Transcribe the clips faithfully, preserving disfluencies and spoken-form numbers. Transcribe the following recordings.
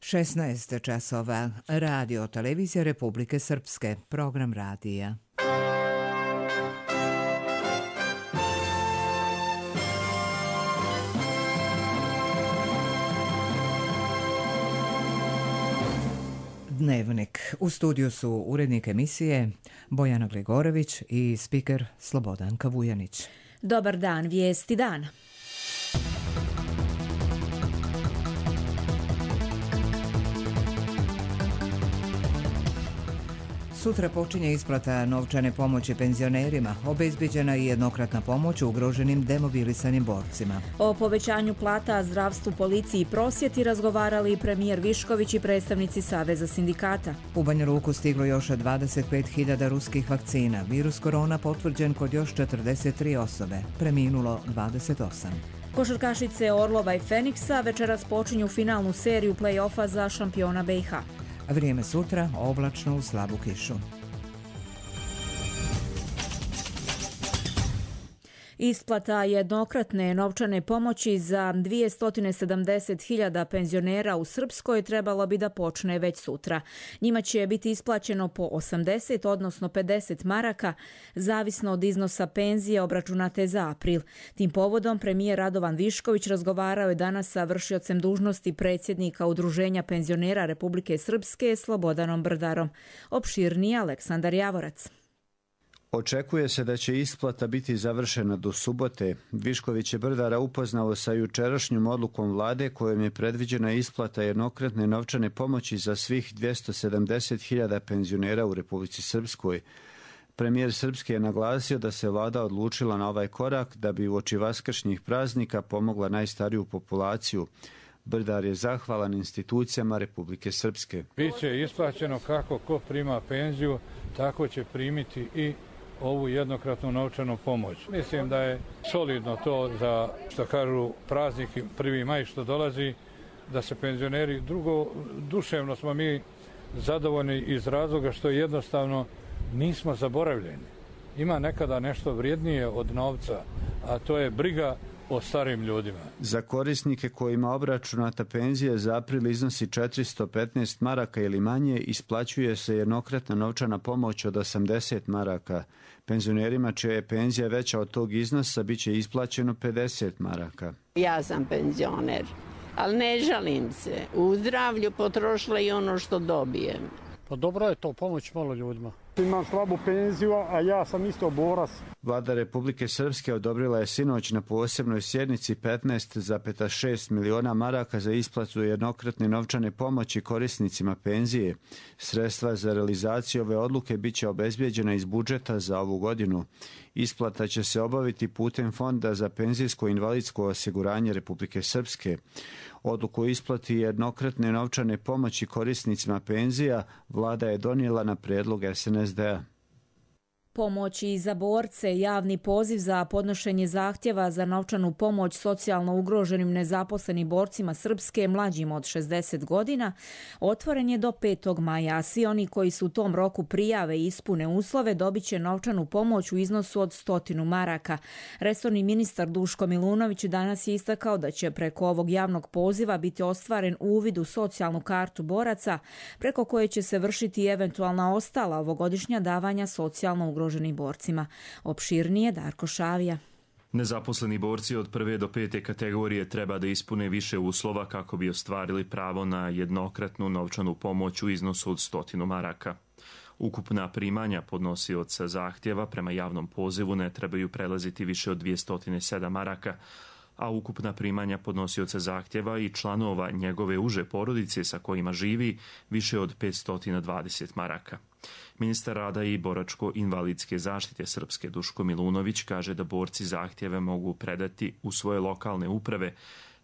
šesnaest časova. Radio Televizija Republike Srpske. Program radija. Dnevnik. U studiju su urednik emisije Bojana Gligorović i spiker Slobodanka Vujanić. Dobar dan, vijesti dana. Sutra počinje isplata novčane pomoći penzionerima, obezbeđena i jednokratna pomoć ugroženim demobilisanim borcima. O povećanju plata, zdravstvu, policiji i prosvjeti razgovarali i premijer Višković i predstavnici Saveza sindikata. U Banja Luku stiglo još dvadeset pet hiljada ruskih vakcina. Virus korona potvrđen kod još četrdeset tri osobe. Preminulo dvadeset osam. Košarkašice Orlova i Feniksa večeras počinju finalnu seriju play-offa za šampiona B i H. Vrijeme sutra oblačno uz slabu kišu. Isplata jednokratne novčane pomoći za dvjesto sedamdeset hiljada penzionera u Srpskoj trebalo bi da počne već sutra. Njima će biti isplaćeno po osamdeset, odnosno pedeset maraka, zavisno od iznosa penzije obračunate za april. Tim povodom premijer Radovan Višković razgovarao je danas sa vršiocem dužnosti predsjednika Udruženja penzionera Republike Srpske Slobodanom Brdarom. Opširnije Aleksandar Javorac. Očekuje se da će isplata biti završena do subote. Višković je Brdara upoznao sa jučerašnjom odlukom vlade kojom je predviđena isplata jednokratne novčane pomoći za svih dvjesto sedamdeset hiljada penzionera u Republici Srpskoj. Premijer Srpske je naglasio da se vlada odlučila na ovaj korak da bi uoči vaskršnjih praznika pomogla najstariju populaciju. Brdar je zahvalan institucijama Republike Srpske. Biće isplaćeno kako ko prima penziju, tako će primiti i ovu jednokratnu novčanu pomoć. Mislim da je solidno to za, što kažu, praznik prvi maj što dolazi, da se penzioneri, drugo, duševno smo mi zadovoljni iz razloga što jednostavno nismo zaboravljeni. Ima nekada nešto vrijednije od novca, a to je briga o starim ljudima. Za korisnike kojima obračunata penzija za april iznosi četiristo petnaest maraka ili manje, isplaćuje se jednokratna novčana pomoć od osamdeset maraka. Penzionerima čija je penzija veća od tog iznosa bit će isplaćeno pedeset maraka. Ja sam penzioner, ali ne žalim se. U zdravlju potrošila i ono što dobijem. Pa dobro je to, pomoć malo ljudima. Imam slabu penziju, a ja sam isto borac. Vlada Republike Srpske odobrila je sinoć na posebnoj sjednici petnaest zarez šest miliona maraka za isplatu jednokratne novčane pomoći korisnicima penzije. Sredstva za realizaciju ove odluke bit će obezbijeđena iz budžeta za ovu godinu. Isplata će se obaviti putem Fonda za penzijsko i invalidsko osiguranje Republike Srpske. Odluku o isplati jednokratne novčane pomoći korisnicima penzija vlada je donijela na prijedlog es en es de a. Pomoći za borce, javni poziv za podnošenje zahtjeva za novčanu pomoć socijalno ugroženim nezaposlenim borcima Srpske mlađim od šezdeset godina otvoren je do petog maja, a svi oni koji su u tom roku prijave i ispune uslove dobit će novčanu pomoć u iznosu od stotinu maraka. Resorni ministar Duško Milunović danas je istakao da će preko ovog javnog poziva biti ostvaren uvid u socijalnu kartu boraca, preko koje će se vršiti eventualna ostala ovogodišnja davanja socijalno ugroženim ugroženim borcima. Opširnije Darko Šavija. Nezaposleni borci od prve do pete kategorije treba da ispune više uslova kako bi ostvarili pravo na jednokratnu novčanu pomoć u iznosu od stotinu maraka. Ukupna primanja podnosioca zahtjeva prema javnom pozivu ne trebaju prelaziti više od dvjesto sedam maraka, a ukupna primanja podnosioca zahtjeva i članova njegove uže porodice sa kojima živi više od petsto dvadeset maraka. Ministar rada i boračko-invalidske zaštite Srpske Duško Milunović kaže da borci zahtjeve mogu predati u svoje lokalne uprave,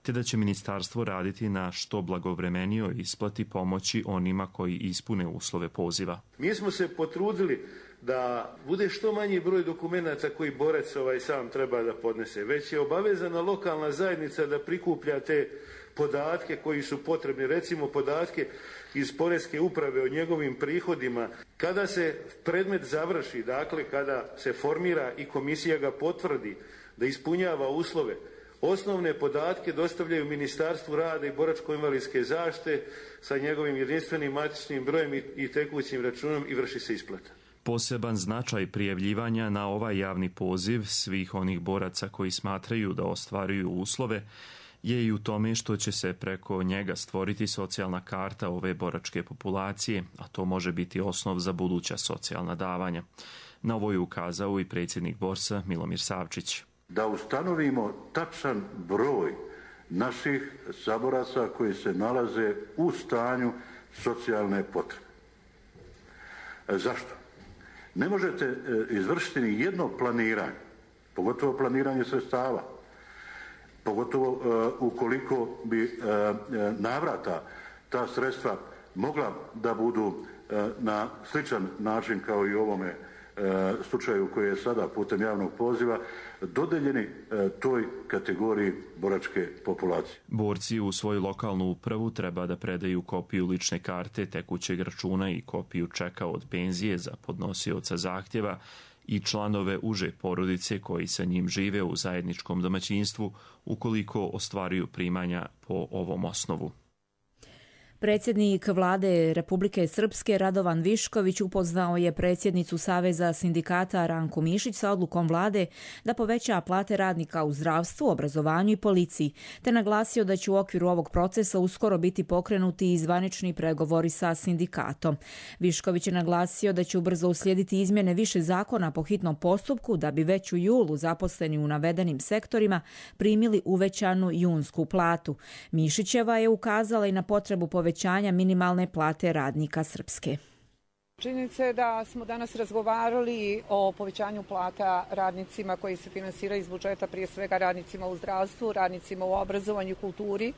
te da će ministarstvo raditi na što blagovremenijoj isplati pomoći onima koji ispune uslove poziva. Mi smo se potrudili da bude što manji broj dokumenata koji borac ovaj sam treba da podnese, već je obavezana lokalna zajednica da prikuplja te podatke koji su potrebni, recimo podatke iz poreske uprave o njegovim prihodima. Kada se predmet završi, dakle kada se formira i komisija ga potvrdi da ispunjava uslove, Osnovne podatke dostavljaju Ministarstvu rada i boračko-invalidske zaštite sa njegovim jedinstvenim matičnim brojem i tekućim računom i vrši se isplata. Poseban značaj prijavljivanja na ovaj javni poziv svih onih boraca koji smatraju da ostvaruju uslove je i u tome što će se preko njega stvoriti socijalna karta ove boračke populacije, a to može biti osnov za buduća socijalna davanja. Na ovo je ukazao i predsjednik Borsa Milomir Savčić. Da ustanovimo tačan broj naših saboraca koji se nalaze u stanju socijalne potrebe. Zašto? Ne možete izvršiti ni jedno planiranje, pogotovo planiranje sredstava, pogotovo uh, ukoliko bi uh, navrata ta sredstva mogla da budu uh, na sličan način kao i u ovome uh, slučaju koji je sada putem javnog poziva dodeljeni uh, toj kategoriji boračke populacije. Borci u svoju lokalnu upravu treba da predaju kopiju lične karte, tekućeg računa i kopiju čeka od penzije za podnosioca zahtjeva i članove uže porodice koji sa njim žive u zajedničkom domaćinstvu ukoliko ostvaruju primanja po ovom osnovu. Predsjednik vlade Republike Srpske Radovan Višković upoznao je predsjednicu Saveza sindikata Ranku Mišić sa odlukom vlade da poveća plate radnika u zdravstvu, obrazovanju i policiji, te naglasio da će u okviru ovog procesa uskoro biti pokrenuti i zvanični pregovori sa sindikatom. Višković je naglasio da će ubrzo uslijediti izmjene više zakona po hitnom postupku da bi već u julu zaposleni u navedenim sektorima primili uvećanu junsku platu. Mišićeva je ukazala i na potrebu povećanja povećanja minimalne plate radnika Srpske. Činjenica je da smo danas razgovarali o povećanju plata radnicima koji se finansiraju iz budžeta, prije svega radnicima u zdravstvu, radnicima u obrazovanju i kulturi,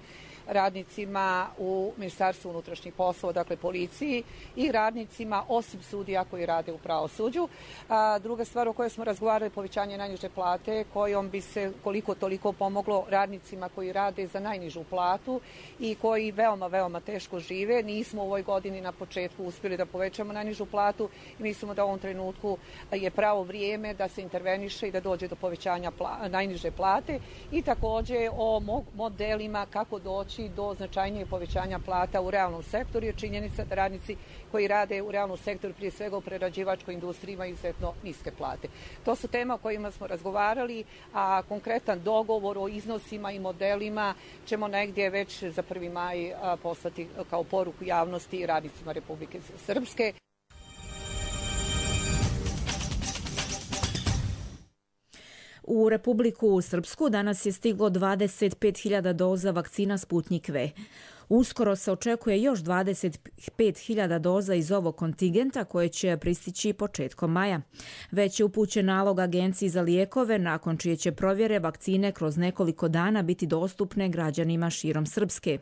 radnicima u Ministarstvu unutrašnjih poslova, dakle policiji, i radnicima osim sudija koji rade u pravosuđu. A, druga stvar o kojoj smo razgovarali je povećanje najniže plate, kojom bi se koliko toliko pomoglo radnicima koji rade za najnižu platu i koji veoma, veoma teško žive. Nismo u ovoj godini na početku uspjeli da povećamo najnižu platu i mislimo da u ovom trenutku je pravo vrijeme da se interveniše i da dođe do povećanja pla, najniže plate i također o modelima kako doći do značajnijeg povećanja plata u realnom sektoru, jer činjenica da radnici koji rade u realnom sektoru, prije svega u prerađivačkoj industriji, imaju izuzetno niske plate. To su tema o kojima smo razgovarali, a konkretan dogovor o iznosima i modelima ćemo negdje već za prvi maj poslati kao poruku javnosti i radnicima Republike Srpske. U Republiku Srpsku danas je stiglo dvadeset pet hiljada doza vakcina Sputnik V. Uskoro se očekuje još dvadeset pet hiljada doza iz ovog kontingenta koje će pristići početkom maja. Već je upućen nalog Agenciji za lijekove, nakon čije će provjere vakcine kroz nekoliko dana biti dostupne građanima širom Srpske.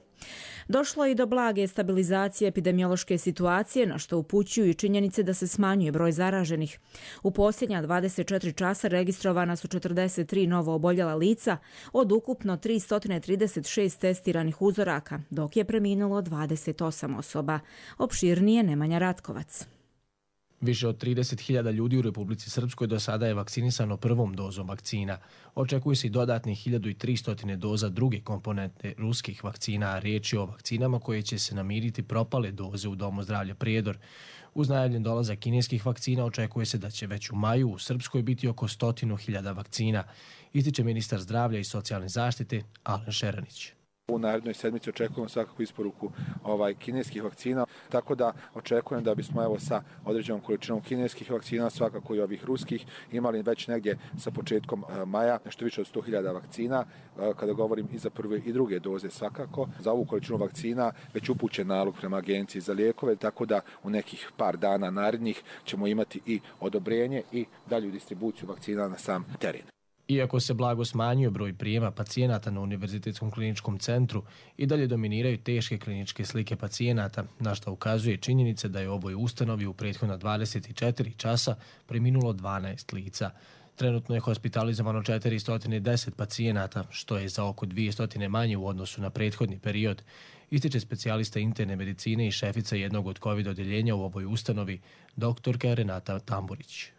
Došlo je i do blage stabilizacije epidemiološke situacije, na što upućuju i činjenice da se smanjuje broj zaraženih. U posljednja dvadeset četiri časa registrovana su četrdeset tri novo oboljela lica od ukupno tristo trideset šest testiranih uzoraka, dok je preminulo dvadeset osam osoba. Opširnije Nemanja Ratkovac. Više od trideset hiljada ljudi u Republici Srpskoj do sada je vakcinisano prvom dozom vakcina. Očekuje se i dodatnih hiljadu tristo doza druge komponente ruskih vakcina, a riječ je o vakcinama koje će se namiriti propale doze u Domu zdravlja Prijedor. Uz najavljen dolazak kineskih vakcina očekuje se da će već u maju u Srpskoj biti oko stotinu hiljada vakcina, ističe ministar zdravlja i socijalne zaštite Alen Šeranić. U narednoj sedmici očekujemo svakako isporuku ovaj, kineskih vakcina, tako da očekujem da bismo evo sa određenom količinom kineskih vakcina, svakako i ovih ruskih, imali već negdje sa početkom maja nešto više od sto hiljada vakcina, kada govorim i za prve i druge doze svakako. Za ovu količinu vakcina već upućen nalog prema Agenciji za lijekove, tako da u nekih par dana narednih ćemo imati i odobrenje i dalju distribuciju vakcina na sam teren. Iako se blago smanjuje broj prijema pacijenata na Univerzitetskom kliničkom centru, i dalje dominiraju teške kliničke slike pacijenata, na što ukazuje činjenica da je u ovoj ustanovi u prethodna dvadeset četiri časa preminulo dvanaest lica. Trenutno je hospitalizovano četiristo deset pacijenata, što je za oko dvjesto manje u odnosu na prethodni period, ističe specijalista interne medicine i šefica jednog od COVID odjeljenja u ovoj ustanovi, doktorka Renata Tamburić.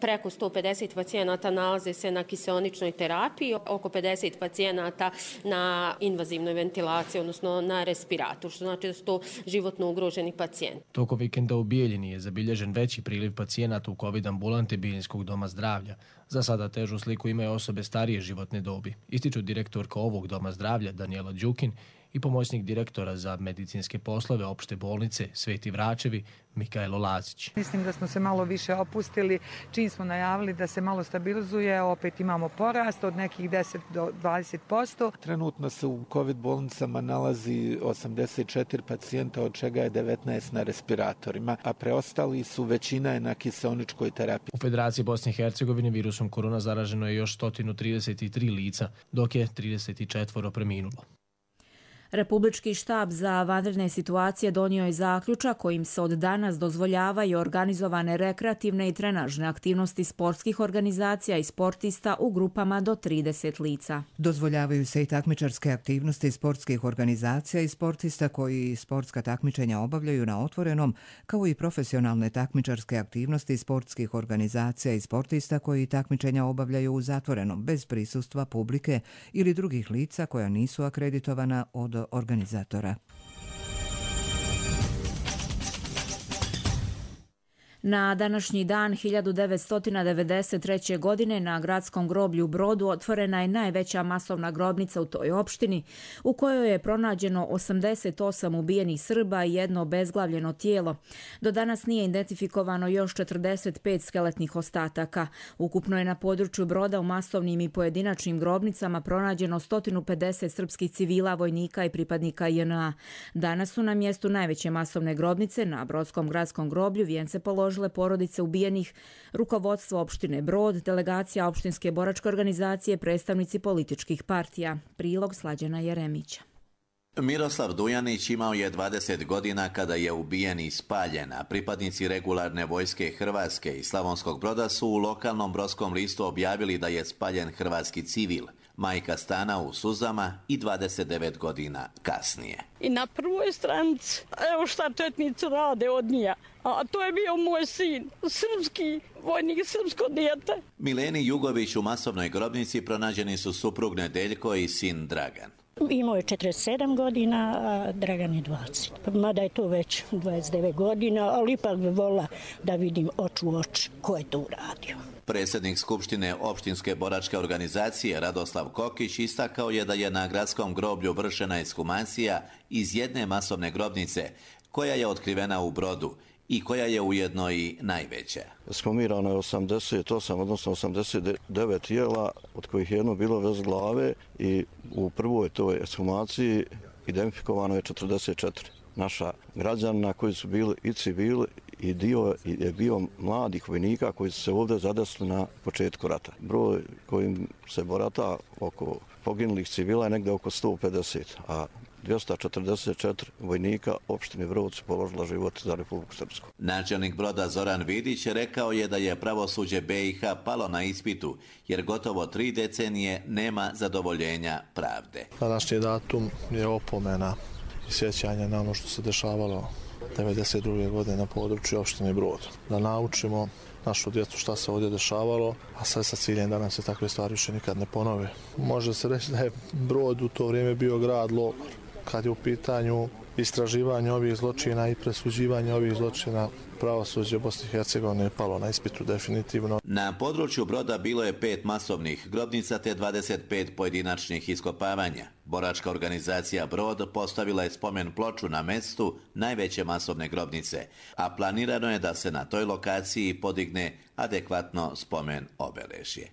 Preko sto pedeset pacijenata nalaze se na kiseoničnoj terapiji, oko pedeset pacijenata na invazivnoj ventilaciji, odnosno na respiratoru, što znači da su to životno ugroženi pacijenti. Tokom vikenda u Bijeljini je zabilježen veći priliv pacijenata u COVID ambulante Bijeljinskog doma zdravlja. Za sada težu sliku imaju osobe starije životne dobi, ističu direktorka ovog doma zdravlja Danijela Đukin i pomoćnik direktora za medicinske poslove opšte bolnice Sveti Vračevi Mikaelo Lazić. Mislim da smo se malo više opustili, čim smo najavili da se malo stabilizuje, opet imamo porast od nekih deset do dvadeset posto. Trenutno se u COVID bolnicama nalazi osamdeset četiri pacijenta, od čega je devetnaest na respiratorima, a preostali su većina je na kiseoničkoj terapiji. U Federaciji Bosne i Hercegovine virusom korona zaraženo je još sto trideset tri lica, dok je trideset četiri preminulo. Republički štab za vanredne situacije donio je zaključak kojim se od danas dozvoljavaju organizovane rekreativne i trenažne aktivnosti sportskih organizacija i sportista u grupama do trideset lica. Dozvoljavaju se i takmičarske aktivnosti sportskih organizacija i sportista koji sportska takmičenja obavljaju na otvorenom, kao i profesionalne takmičarske aktivnosti sportskih organizacija i sportista koji takmičenja obavljaju u zatvorenom, bez prisustva publike ili drugih lica koja nisu akreditovana od organizatora. Na današnji dan hiljadu devetsto devedeset treće. godine na gradskom groblju u Brodu otvorena je najveća masovna grobnica u toj opštini, u kojoj je pronađeno osamdeset osam ubijenih Srba i jedno obezglavljeno tijelo. Do danas nije identifikovano još četrdeset pet skeletnih ostataka. Ukupno je na području Broda u masovnim i pojedinačnim grobnicama pronađeno sto pedeset srpskih civila, vojnika i pripadnika J N A. Danas su na mjestu najveće masovne grobnice na Brodskom gradskom groblju vijence položili porodice ubijenih, rukovodstvo opštine Brod, delegacija opštinske boračke organizacije, predstavnici političkih partija. Prilog Slađana Jeremića. Miroslav Dujanić imao je dvadeset godina kada je ubijen i spaljen, a pripadnici regularne vojske Hrvatske i Slavonskog Broda su u lokalnom brodskom listu objavili da je spaljen hrvatski civil, majka stana u suzama i dvadeset devet godina kasnije. I na prvoj stranici, evo šta četnici rade od njega, a to je bio moj sin, srpski vojnik, srpsko dijete. Mileni Jugović u masovnoj grobnici pronađeni su suprug Nedeljko i sin Dragan. Imao je četrdeset sedam godina, a Dragan je dvadeset. Mada je to već dvadeset devet godina, ali ipak bi volila da vidim oču u oči ko je to uradio. Predsjednik Skupštine opštinske boračke organizacije Radoslav Kokić istakao je da je na gradskom groblju vršena ekshumacija iz jedne masovne grobnice koja je otkrivena u Brodu i koja je ujedno i najveća. Ekshumirano je osamdeset osam, odnosno osamdeset devet tijela, od kojih je jedno bilo bez glave i u prvoj toj ekshumaciji identifikovano je četrdeset četiri naša građana koji su bili i civili i dio je bio mladih vojnika koji su se ovdje zadesili na početku rata. Broj kojim se borata oko poginulih civila je negdje oko sto pedeset, a dvjesto četrdeset četiri vojnika opštine Brod su položila život za Republiku Srpsku. Načelnik Broda Zoran Vidić rekao je da je pravosuđe B i H palo na ispitu, jer gotovo tri decenije nema zadovoljenja pravde. Današnji datum je opomena i sjećanje na ono što se dešavalo devedeset druge. godine na području opštine Brod. Da naučimo našu djecu šta se ovdje dešavalo, a sve sa ciljem da nam se takve stvari više nikad ne ponove. Može se reći da je Brod u to vrijeme bio grad logor. Kad je u pitanju istraživanje ovih zločina i presuđivanje ovih zločina, pravosuđe Bosne i Hercegovine je palo na ispitu definitivno. Na području Broda bilo je pet masovnih grobnica te dvadeset pet pojedinačnih iskopavanja. Boračka organizacija Brod postavila je spomen ploču na mjestu najveće masovne grobnice, a planirano je da se na toj lokaciji podigne adekvatno spomen obeležje.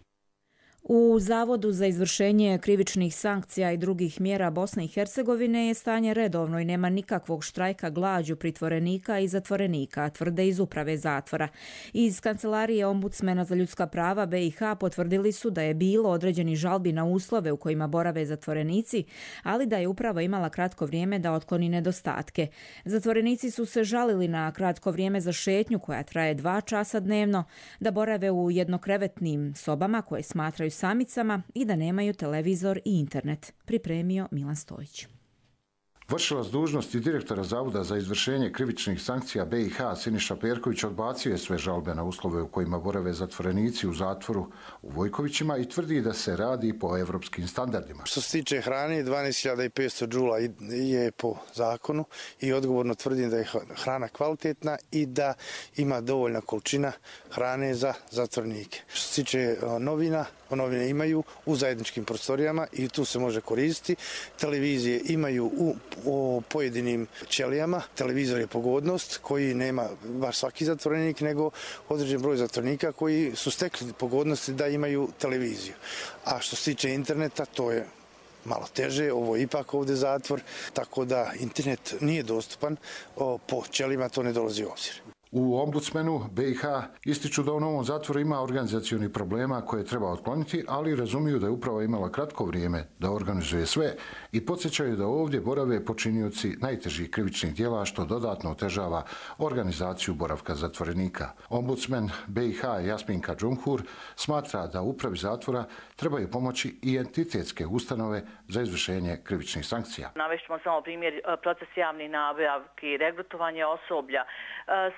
U Zavodu za izvršenje krivičnih sankcija i drugih mjera Bosne i Hercegovine je stanje redovno i nema nikakvog štrajka glađu pritvorenika i zatvorenika, tvrde iz uprave zatvora. Iz kancelarije ombudsmena za ljudska prava B i H potvrdili su da je bilo određeni žalbi na uslove u kojima borave zatvorenici, ali da je uprava imala kratko vrijeme da otkloni nedostatke. Zatvorenici su se žalili na kratko vrijeme za šetnju koja traje dva časa dnevno, da borave u jednokrevetnim sobama koje smatraju samicama i da nemaju televizor i internet, pripremio Milan Stojić. Vršilac dužnosti direktora Zavoda za izvršenje krivičnih sankcija B i H Siniša Perković odbacio je sve žalbe na uslove u kojima borave zatvorenici u zatvoru u Vojkovićima i tvrdi da se radi po evropskim standardima. Što se tiče hrane, dvanaest hiljada petsto džula je po zakonu i odgovorno tvrdim da je hrana kvalitetna i da ima dovoljna količina hrane za zatvornike. Što se tiče novina, novine imaju u zajedničkim prostorijama i tu se može koristiti. Televizije imaju u o pojedinim ćelijama. Televizor je pogodnost koji nema baš svaki zatvorenik, nego određen broj zatvorenika koji su stekli pogodnosti da imaju televiziju. A što se tiče interneta, to je malo teže, ovo je ipak ovdje zatvor, tako da internet nije dostupan, po ćelijama to ne dolazi u obzir. U ombudsmenu B i H ističu da u novom zatvoru ima organizacionih problema koje treba otkloniti, ali razumiju da je uprava imala kratko vrijeme da organizuje sve i podsjećaju da ovdje borave počinioci najtežih krivičnih djela, što dodatno otežava organizaciju boravka zatvorenika. Ombudsmen B i H Jasminka Džumhur smatra da upravi zatvora trebaju pomoći i entitetske ustanove za izvršenje krivičnih sankcija. Navešćemo samo primjer proces javnih nabavki, regrutovanje osoblja.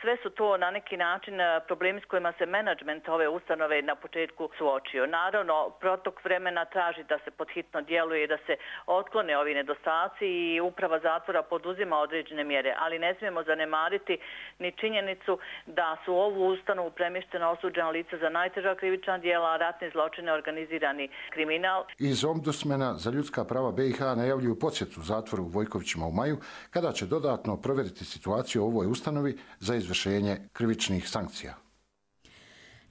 Sve su to na neki način problemi s kojima se menadžment ove ustanove na početku suočio. Naravno, protok vremena traži da se podhitno djeluje i da se otklone ovi nedostaci i uprava zatvora poduzima određene mjere, ali ne smijemo zanemariti ni činjenicu da su u ovu ustanovu premještena osuđena lica za najteža krivična djela, ratne zločine, organizirani kriminal. Iz ombudsmena za ljudska prava B i H najavljuju posjetu zatvoru u Vojkovićima u maju, kada će dodatno provjeriti situaciju u ovoj ustanovi za izvršenje krivičnih sankcija.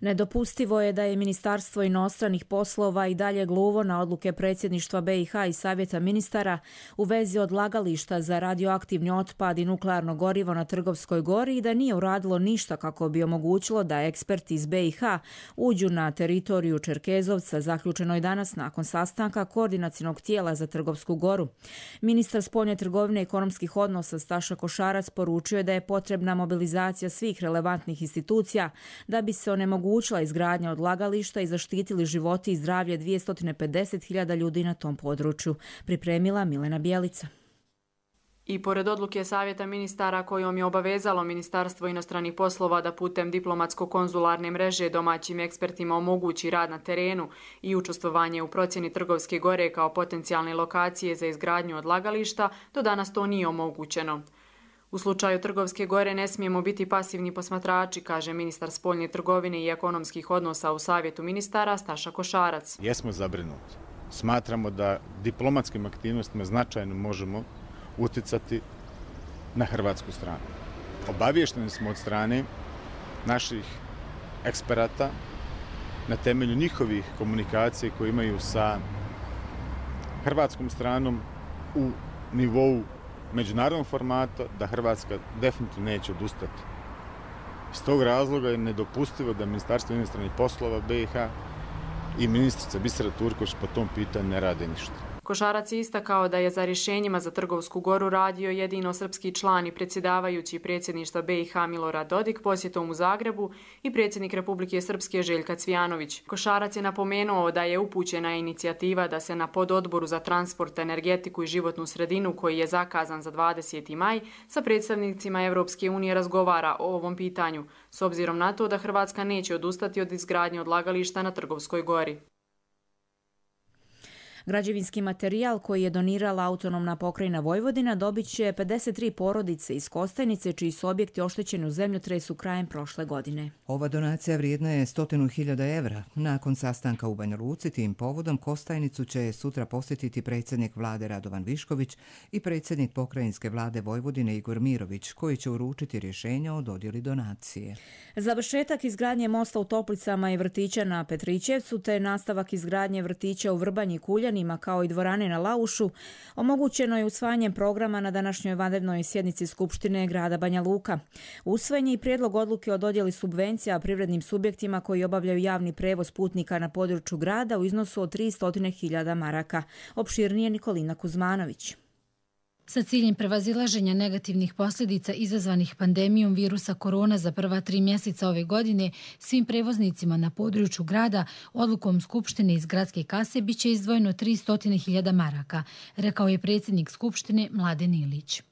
Nedopustivo je da je Ministarstvo inostranih poslova i dalje gluvo na odluke predsjedništva B i H i Savjeta ministara u vezi odlagališta za radioaktivni otpad i nuklearno gorivo na Trgovskoj gori i da nije uradilo ništa kako bi omogućilo da eksperti iz B i H uđu na teritoriju Čerkezovca, zaključeno je danas nakon sastanka koordinacionog tijela za Trgovsku goru. Ministar spoljne trgovine i ekonomskih odnosa Staša Košarac poručio je da je potrebna mobilizacija svih relevantnih institucija da bi se onemogućilo omogućila izgradnja odlagališta i zaštitili životi i zdravlje dvjesto pedeset hiljada ljudi na tom području, pripremila Milena Bjelica. I pored odluke Savjeta ministara kojom je obavezalo Ministarstvo inostranih poslova da putem diplomatsko-konzularne mreže domaćim ekspertima omogući rad na terenu i učestvovanje u procjeni Trgovske gore kao potencijalne lokacije za izgradnju odlagališta, do danas to nije omogućeno. U slučaju Trgovske gore ne smijemo biti pasivni posmatrači, kaže ministar spoljne trgovine i ekonomskih odnosa u Savjetu ministara Staša Košarac. Jesmo zabrinuti. Smatramo da diplomatskim aktivnostima značajno možemo uticati na hrvatsku stranu. Obaviješteni smo od strane naših eksperata na temelju njihovih komunikacija koje imaju sa hrvatskom stranom u nivou međunarodnog formata, da Hrvatska definitivno neće odustati. Iz tog razloga je nedopustivo da Ministarstvo inostranih poslova B i H i ministrica Bisera Turković po tom pitanju ne rade ništa. Košarac je istakao da je za rješenjima za Trgovsku goru radio jedino srpski član i predsjedavajući predsjedništva B i H Milorad Dodik posjetom u Zagrebu i predsjednik Republike Srpske Željka Cvijanović. Košarac je napomenuo da je upućena inicijativa da se na pododboru za transport, energetiku i životnu sredinu, koji je zakazan za dvadeseti maj, sa predstavnicima Europske unije razgovara o ovom pitanju, s obzirom na to da Hrvatska neće odustati od izgradnje odlagališta na Trgovskoj gori. Građevinski materijal koji je donirala autonomna pokrajina Vojvodina dobit će pedeset tri porodice iz Kostajnice, čiji su objekti oštećeni u zemljotresu krajem prošle godine. Ova donacija vrijedna je stotinu hiljada evra. Nakon sastanka u Banja Luci, tim povodom Kostajnicu će sutra posjetiti predsjednik vlade Radovan Višković i predsjednik pokrajinske vlade Vojvodine Igor Mirović, koji će uručiti rješenje o dodjeli donacije. Završetak izgradnje mosta u Toplicama i vrtića na Petrićevcu, te nastavak izgradnje vrtića u Vrbanji i Kuljanima, kao i dvorane na Laušu, omogućeno je usvajanjem programa na današnjoj vanrednoj sjednici Skupštine grada Banja Luka. Usvojen je i prijedlog odluke o dodjeli subvencija privrednim subjektima koji obavljaju javni prevoz putnika na području grada u iznosu od tristo hiljada maraka. Opširnije Nikolina Kuzmanović. Sa ciljem prevazilaženja negativnih posljedica izazvanih pandemijom virusa korona za prva tri mjeseca ove godine, svim prevoznicima na području grada odlukom Skupštine iz gradske kase bit će izdvojeno tristo hiljada maraka, rekao je predsjednik Skupštine Mladen Ilić.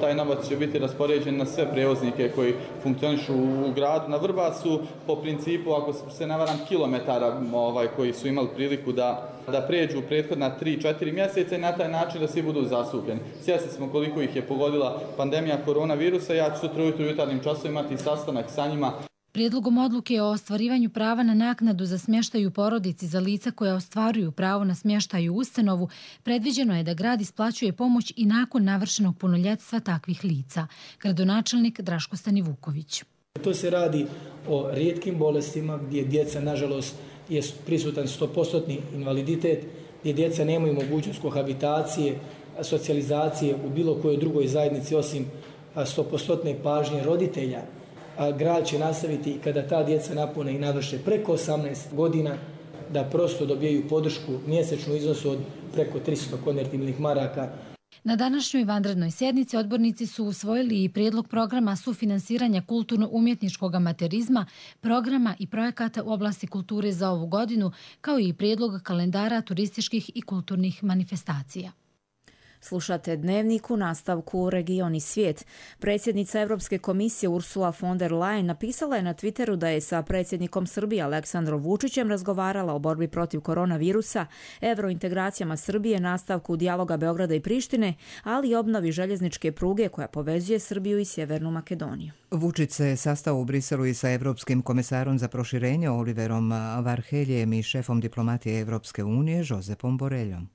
Taj novac će biti raspoređen na sve prevoznike koji funkcionišu u gradu. Na Vrbasu, po principu, ako se ne varam, kilometara ovaj, koji su imali priliku da, da pređu prethodna tri četiri mjeseca i na taj način da svi budu zastupljeni. Svjesni smo koliko ih je pogodila pandemija koronavirusa. Ja ću sutra ujutro u jutarnjim časovima imati sastanak sa njima. Prijedlogom odluke o ostvarivanju prava na naknadu za smještaj u porodici za lica koja ostvaruju pravo na smještaj u ustanovu, predviđeno je da grad isplaćuje pomoć i nakon navršenog punoljetstva takvih lica. Gradonačelnik Draško Stanivuković. To se radi o rijetkim bolestima gdje djeca, nažalost, je prisutan sto posto invaliditet, gdje djeca nemaju mogućnost kohabitacije, socijalizacije u bilo kojoj drugoj zajednici osim sto posto pažnje roditelja. A grad će nastaviti kada ta djeca napune i navrše preko osamnaest godina da prosto dobijaju podršku mjesečnu iznosu od preko tristo konvertibilnih maraka. Na današnjoj vanrednoj sjednici odbornici su usvojili i prijedlog programa sufinansiranja kulturno-umjetničkog amaterizma, programa i projekata u oblasti kulture za ovu godinu, kao i prijedlog kalendara turističkih i kulturnih manifestacija. Slušate Dnevnik, u nastavku Region i svijet. Predsjednica Europske komisije Ursula von der Leyen napisala je na Twitteru da je sa predsjednikom Srbije Aleksandrom Vučićem razgovarala o borbi protiv koronavirusa, evrointegracijama Srbije, nastavku dijaloga Beograda i Prištine, ali i obnovi željezničke pruge koja povezuje Srbiju i Sjevernu Makedoniju. Vučić se sastao u Briselu i sa Evropskim komesarom za proširenje Oliverom Varheljem i šefom diplomatije Evropske unije Josepom Boreljom.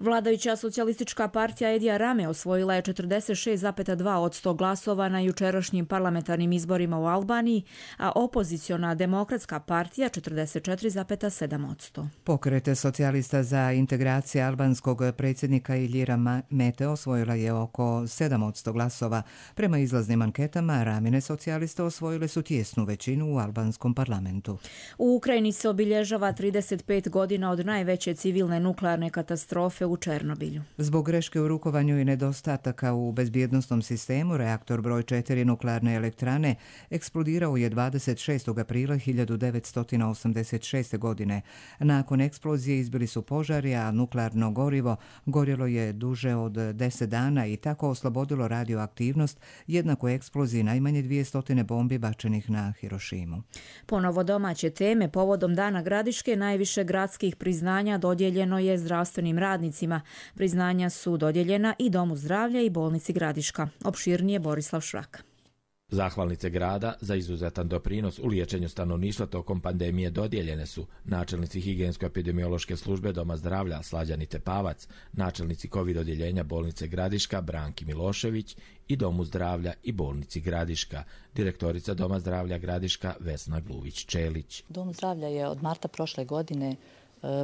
Vladajuća socijalistička partija Edija Rame osvojila je četrdeset šest zarez dva posto glasova na jučerašnjim parlamentarnim izborima u Albaniji, a opoziciona demokratska partija četrdeset četiri zarez sedam posto. Pokret socijalista za integracije albanskog predsjednika Iljira Mete osvojila je oko sedam posto glasova. Prema izlaznim anketama, Ramine socijaliste osvojile su tijesnu većinu u albanskom parlamentu. U Ukrajini se obilježava trideset pet godina od najveće civilne nuklearne katastrofe u Černobilju. Zbog greške u rukovanju i nedostataka u bezbjednosnom sistemu, reaktor broj četiri nuklearne elektrane eksplodirao je dvadeset šestog aprila hiljadu devetsto osamdeset šeste. godine. Nakon eksplozije izbili su požari, a nuklearno gorivo gorjelo je duže od deset dana i tako oslobodilo radioaktivnost, jednako eksploziji najmanje dvjesto bombi bačenih na Hirošimu. Ponovo domaće teme, povodom Dana Gradiške najviše gradskih priznanja dodijeljeno je zdravstvenim radnicima. Priznanja su dodijeljena i Domu zdravlja i bolnici Gradiška. Opširnije Borislav Šrak. Zahvalnice grada za izuzetan doprinos u liječenju stanovništva tokom pandemije dodijeljene su načelnici higijensko-epidemiološke službe Doma zdravlja Slađani Tepavac, načelnici COVID odjeljenja bolnice Gradiška Branki Milošević i Domu zdravlja i bolnici Gradiška, direktorica Doma zdravlja Gradiška Vesna Gluvić-Čelić. Dom zdravlja je od marta prošle godine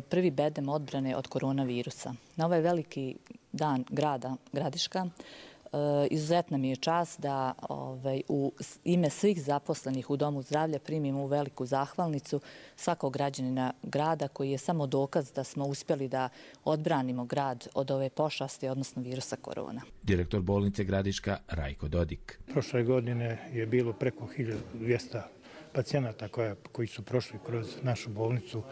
prvi bedem odbrane od koronavirusa. Na ovaj veliki dan grada Gradiška izuzetna mi je čast da ovaj, u ime svih zaposlenih u Domu zdravlja primimo u veliku zahvalnicu svakog građanina grada koji je samo dokaz da smo uspjeli da odbranimo grad od ove pošasti, odnosno virusa korona. Direktor bolnice Gradiška Rajko Dodik. Prošle godine je bilo preko hiljadu dvjesto pacijenata koja, koji su prošli kroz našu bolnicu,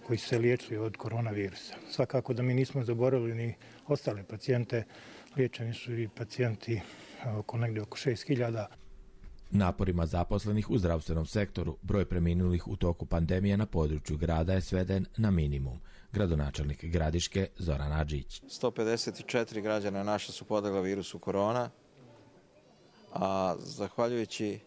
koji su se liječili od koronavirusa. Svakako da mi nismo zaboravili ni ostale pacijente, liječeni su i pacijenti oko negdje oko šest hiljada. Naporima zaposlenih u zdravstvenom sektoru broj preminulih u toku pandemije na području grada je sveden na minimum. Gradonačelnik Gradiške Zoran Adžić. sto pedeset četiri građana naša su podlegla virusu korona, a zahvaljujući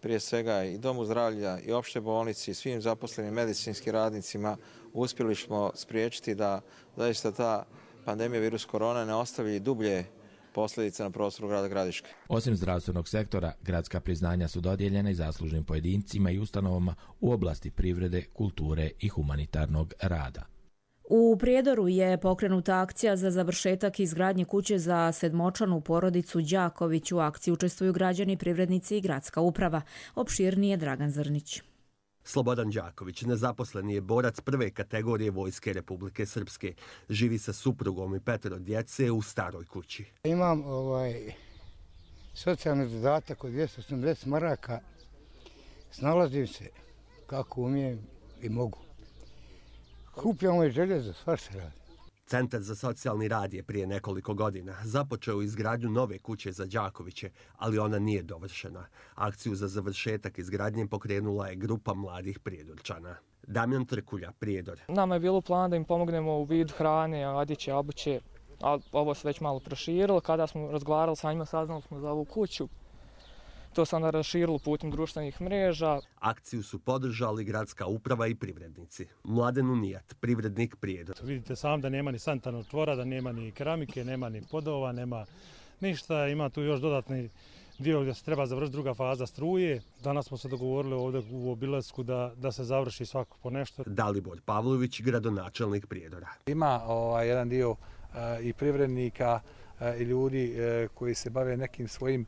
prije svega i Domu zdravlja i opšte bolnici i svim zaposlenim medicinskim radnicima uspjeli smo spriječiti da zaista ta pandemija virus korona ne ostavi dublje posljedice na prostoru grada Gradiške. Osim zdravstvenog sektora, gradska priznanja su dodijeljena i zaslužnim pojedincima i ustanovama u oblasti privrede, kulture i humanitarnog rada. U Prijedoru je pokrenuta akcija za završetak izgradnje kuće za sedmočlanu porodicu Đaković. U akciji učestvuju građani, privrednici i gradska uprava. Opširnije Dragan Zrnić. Slobodan Đaković, nezaposleni je borac prve kategorije Vojske Republike Srpske. Živi sa suprugom i petero djece u staroj kući. Imam ovaj socijalni dodatak od dvjesto osamdeset maraka. Snalazim se kako umijem i mogu. Kupljamo i željezo, svašta radi. Centar za socijalni rad je prije nekoliko godina započeo izgradnju nove kuće za Đakoviće, ali ona nije dovršena. Akciju za završetak izgradnje pokrenula je grupa mladih Prijedorčana. Damjan Trkulja, Prijedor. Nama je bilo plan da im pomognemo u vidu hrane, odjeće, obuće, a ovo se već malo proširilo. Kada smo razgovarali sa njima, saznali smo za ovu kuću. To se onda raširilo putem društvenih mreža. Akciju su podržali gradska uprava i privrednici. Mladen Unijat, privrednik Prijedor. Vidite sam da nema ni sanitarnog čvora, da nema ni keramike, nema ni podova, nema ništa. Ima tu još dodatni dio gdje se treba završiti druga faza struje. Danas smo se dogovorili ovdje u obilasku da, da se završi svako po nešto. Dalibor Pavlović, gradonačelnik Prijedora. Ima ovaj, jedan dio uh, i privrednika uh, i ljudi uh, koji se bave nekim svojim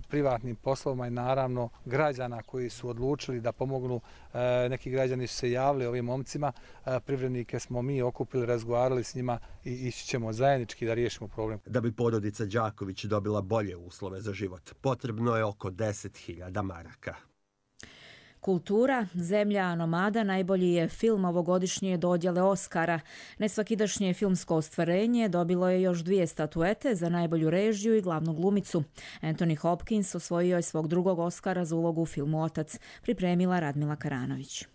privatnim poslovima i naravno građana koji su odlučili da pomognu. Neki građani su se javili ovim momcima, privrednike smo mi okupili, razgovarali s njima i ići ćemo zajednički da riješimo problem. Da bi porodica Đaković dobila bolje uslove za život, potrebno je oko deset hiljada maraka. Kultura, zemlja nomada najbolji je film ovogodišnje dodjele Oskara. Nesvakidašnje filmsko ostvarenje dobilo je još dvije statuete za najbolju režiju i glavnu glumicu. Anthony Hopkins osvojio je svog drugog Oskara za ulogu u filmu Otac, pripremila Radmila Karanović.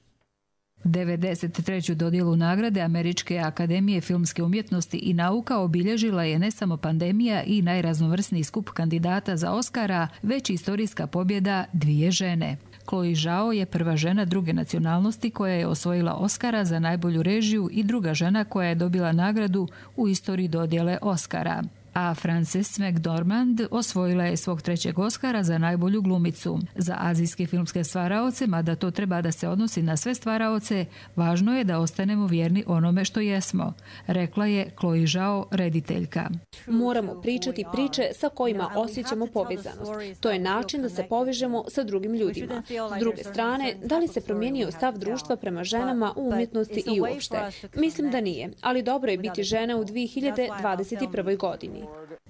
devedeset treću dodjelu nagrade Američke akademije filmske umjetnosti i nauka obilježila je ne samo pandemija i najraznovrsniji skup kandidata za Oskara, već i istorijska pobjeda dvije žene. Chloe Zhao je prva žena druge nacionalnosti koja je osvojila Oskara za najbolju režiju i druga žena koja je dobila nagradu u istoriji dodjele Oskara. A Frances McDormand osvojila je svog trećeg Oskara za najbolju glumicu. Za azijske filmske stvaraoce, mada to treba da se odnosi na sve stvaraoce, važno je da ostanemo vjerni onome što jesmo, rekla je Chloe Zhao, rediteljka. Moramo pričati priče sa kojima osjećamo povezanost. To je način da se povežemo sa drugim ljudima. S druge strane, da li se promijenio stav društva prema ženama u umjetnosti i uopšte? Mislim da nije, ali dobro je biti žena u dvije hiljade dvadeset prve. godini.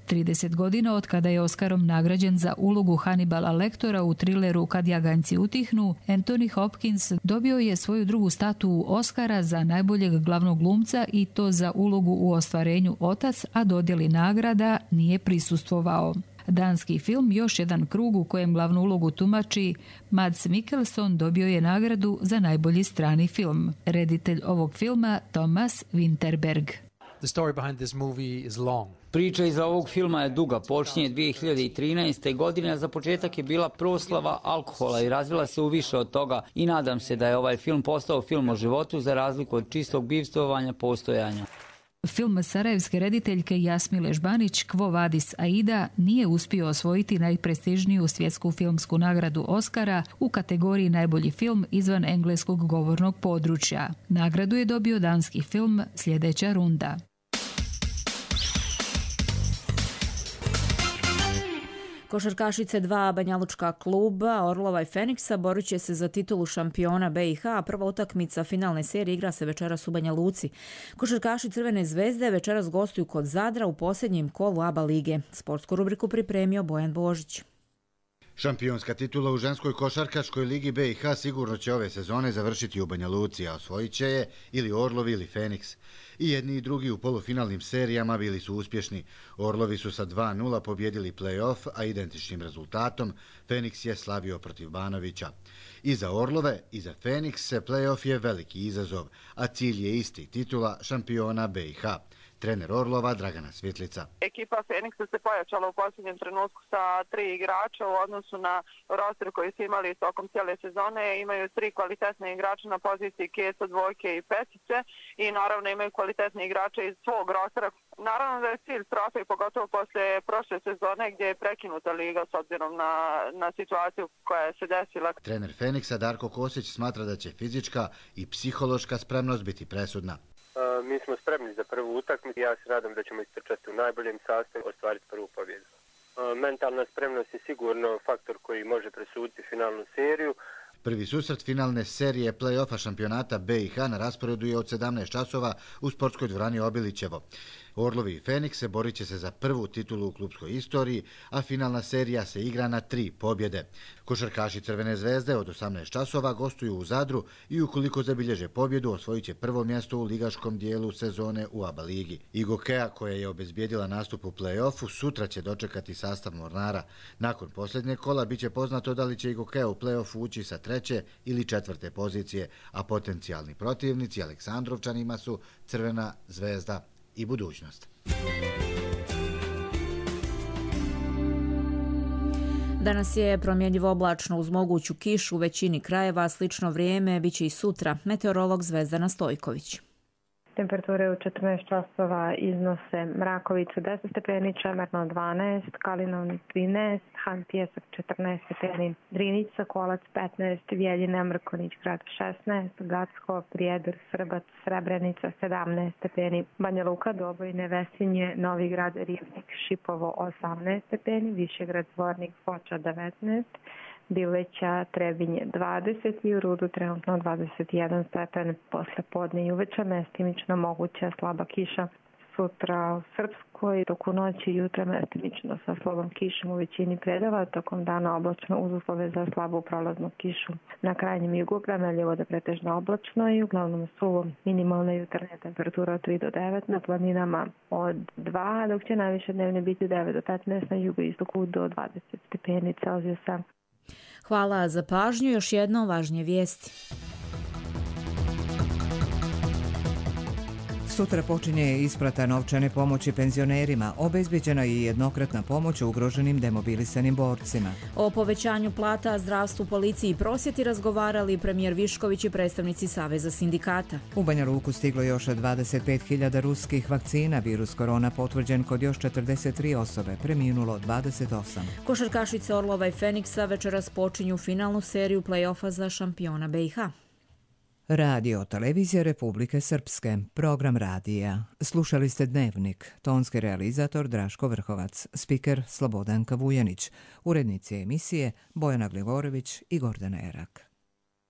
trideset godina od kada je Oskarom nagrađen za ulogu Hannibala Lectora u trileru Kad jaganjci utihnu, Anthony Hopkins dobio je svoju drugu statu Oskara za najboljeg glavnog glumca i to za ulogu u ostvarenju Otac, a dodjeli nagrada nije prisustvovao. Danski film Još jedan krug u kojem glavnu ulogu tumači Mads Mikkelsen dobio je nagradu za najbolji strani film. Reditelj ovog filma Thomas Winterberg. The story behind this movie is long. Priča iza ovog filma je duga, počinje dvije hiljade trinaeste. godine, a za početak je bila proslava alkohola i razvila se u više od toga i nadam se da je ovaj film postao film o životu za razliku od čistog bivstvovanja postojanja. Film sarajevske rediteljke Jasmile Žbanić Quo Vadis Aida nije uspio osvojiti najprestižniju svjetsku filmsku nagradu Oskara u kategoriji najbolji film izvan engleskog govornog područja. Nagradu je dobio danski film Sljedeća runda. Košarkašice dva banjalučka kluba Orlova i Feniksa borit će se za titulu šampiona B i H, a prva utakmica finalne serije igra se večeras u Banja Luci. Košarkaši Crvene zvezde večeras gostuju kod Zadra u posljednjem kolu A B A lige. Sportsku rubriku pripremio Bojan Božić. Šampionska titula u ženskoj košarkaškoj ligi B i H sigurno će ove sezone završiti u Banja Luci, a osvojit će je ili Orlov ili Feniks. I jedni i drugi u polufinalnim serijama bili su uspješni. Orlovi su sa dva nula pobjedili play-off, a identičnim rezultatom Feniks je slavio protiv Banovića. I za Orlove i za Feniks play-off je veliki izazov, a cilj je isti, titula šampiona B i H. Trener Orlova Dragana Svjetlica. Ekipa Feniksa se pojačala u posljednjem trenutku sa tri igrača u odnosu na roster koji su imali tokom cijele sezone. Imaju tri kvalitetne igrača na poziciji keca, dvojke i petice i naravno imaju kvalitetne igrače iz svog rostera. Naravno da je cilj trofej, pogotovo posle prošle sezone gdje je prekinuta liga s obzirom na, na situaciju koja se desila. Trener Feniksa Darko Kosić smatra da će fizička i psihološka spremnost biti presudna. Uh, mi smo spremni za prvu utakmicu i ja se nadam da ćemo istrčati u najboljem sastavu, ostvariti prvu pobjedu. Uh, mentalna spremnost je sigurno faktor koji može presuditi finalnu seriju. Prvi susret finalne serije play-offa šampionata B i H na rasporedu je od sedamnaest časova u sportskoj dvorani Obilićevo. Orlovi i Fenikse borit će se za prvu titulu u klubskoj istoriji, a finalna serija se igra na tri pobjede. Košarkaši Crvene zvezde od osamnaest časova gostuju u Zadru i ukoliko zabilježe pobjedu osvojit će prvo mjesto u ligaškom dijelu sezone u A B A ligi. Igokea, koja je obezbijedila nastup u play-offu, sutra će dočekati sastav Mornara. Nakon posljednjeg kola biće poznato da li će Igokea u play-offu ući sa treće ili četvrte pozicije, a potencijalni protivnici Aleksandrovčanima su Crvena zvezda i Budućnost. Danas je promjenjivo oblačno uz moguću kišu u većini krajeva, slično vrijeme biće i sutra. Meteorolog Zvezdana Stojković. Temperature u četrnaest časova iznose Mrakovica deset stepeni, Čemerno dvanaest, Kalinovnik trinaest, Han Pjesak četrnaest stepeni, Drinica, Kolac petnaest, Vjeljina, Mrkonić grad šesnaest, Gacko, Prijedor, Srbac, Srebrenica sedamnaest stepeni, Banja Luka, Doboj, Nevesinje, Novi grad, Rivnik, Šipovo osamnaest stepeni, Višegrad, Zvornik, Foča devetnaest, Bileća, Trebinje dvadeset i u Rudu trenutno dvadeset jedan stepen. Posle podne i uveče mestimično moguća slaba kiša. Sutra u Srpskoj toku noći i jutra mestimično sa slabom kišom u većini predela, tokom dana oblačno uz uslove za slabu prolaznu kišu. Na krajnjem jugu premeljivo da pretežno oblačno i uglavnom suvo. Minimalna jutarnja temperatura od tri do devet, na planinama od dva, dok će najviše dnevne biti devet do petnaest, na jugoistoku do dvadeset stepeni Celzijusa. Hvala za pažnju. Još jedno važnije vijesti. Sutra počinje isplata novčane pomoći penzionerima. Obezbeđena je jednokratna pomoć ugroženim demobilisanim borcima. O povećanju plata, zdravstvu, policiji i prosvjeti razgovarali premijer Višković i predstavnici Saveza sindikata. U Banja Luku stiglo još dvadeset pet hiljada ruskih vakcina. Virus korona potvrđen kod još četrdeset tri osobe, preminulo dvadeset osam. Košarkašice Orlova i Feniksa večeras počinju finalnu seriju play-offa za šampiona B i H. Radio Televizija Republike Srpske, program radija. Slušali ste Dnevnik, tonski realizator Draško Vrhovac, spiker Slobodanka Vujanić, urednici emisije Bojana Gligorović i Gordana Erak.